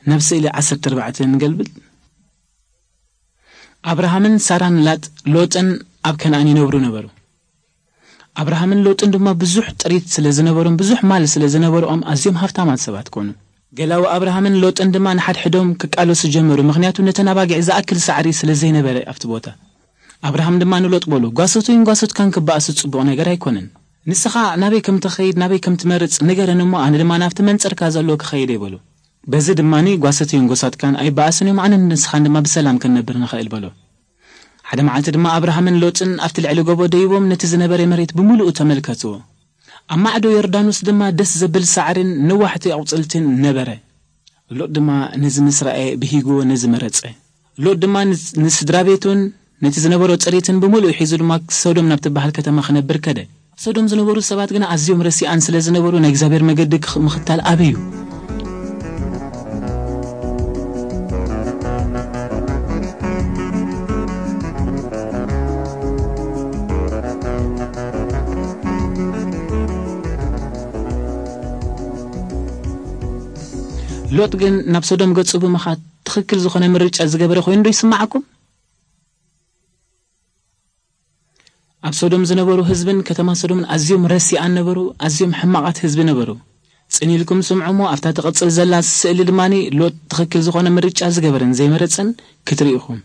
ናብ ስእሊ ዓሰርተ ኣርባዕተ ንገልብጥ። ኣብርሃምን ሳራን ላጥ ሎጥን ኣብ ከነኣን ይነብሩ ነበሩ። ኣብርሃምን ሎጥን ድማ ብዙሕ ጥሪት ስለ ዝነበሮም፣ ብዙሕ ማል ስለ ዝነበርኦም፣ ኣዝዮም ሃብታማት ሰባት ኮኑ። ገላዊ ኣብርሃምን ሎጥን ድማ ንሓድሕዶም ክቃለሱ ጀመሩ፣ ምኽንያቱ ነተን ኣባጊዕ ዝኣክል ሳዕሪ ስለ ዘይነበረ ኣብቲ ቦታ። ኣብርሃም ድማ ንሎጥ በሎ፣ "ጓሶተይን ጓሶትካን ክበኣሱ ጽቡቕ ነገር ኣይኮነን። ንስኻ ናበይ ከም ትኸይድ፣ ናበይ ከም ትመርጽ ንገረኒ እሞ፣ ኣነ ድማ ናብቲ መንጸርካ ዘሎ ክኸይድ እየ" በሎ። በዚ ድማኒ ጓሶተይን ጓሶትካን ኣይበኣሱን እዮም፣ ኣነን ንስኻን ድማ ብሰላም ክንነብር ንኽእል በሎ። ሓደ መዓልቲ ድማ ኣብርሃምን ሎጥን ኣብቲ ልዕሊ ጎቦ ደይቦም ነቲ ዝነበረ መሬት ብምሉኡ ተመልከትዎ። ኣብ ማዕዶ ዮርዳኖስ ድማ ደስ ዘብል ሳዕርን ነዋሕቲ ኣቑጽልትን ነበረ። ሎጥ ድማ ነዚ ምስ ረኣየ ብሂግዎ ነዚ መረጸ። ሎጥ ድማ ንስ-፣ ንስድራ ቤቱን ነቲ ዝነበሮ ጥሪትን ብምሉኡ ሒዙ ድማ ሶዶም ናብ ትበሃል ከተማ ክነብር ከደ። ኣብ ሶዶም ዝነበሩ ሰባት ግና ኣዝዮም ረሲኣን ስለ ዝነበሩ ናይ እግዚኣብሔር መገዲ ክኽ-፣ ምኽታል ኣበዩ። ሎጥ ግን ናብ ሶዶም ገጹ ብምኻድ ትኽክል ዝኾነ ምርጫ ዝገበረ ኮይኑ ዶ ይስምዓኩም? ኣብ ሶዶም ዝነበሩ ህዝብን ከተማ ሶዶምን ኣዝዮም ረሲኣን ነበሩ፣ ኣዝዮም ሕማቓት ህዝቢ ነበሩ። ጽን ኢልኩም ስምዑ እሞ ኣብታ ትቕጽል ዘላ ስእሊ ድማኒ ሎጥ ትኽክል ዝኾነ ምርጫ ዝገበረን ዘይመረጸን ክትርኢ ኢኹም።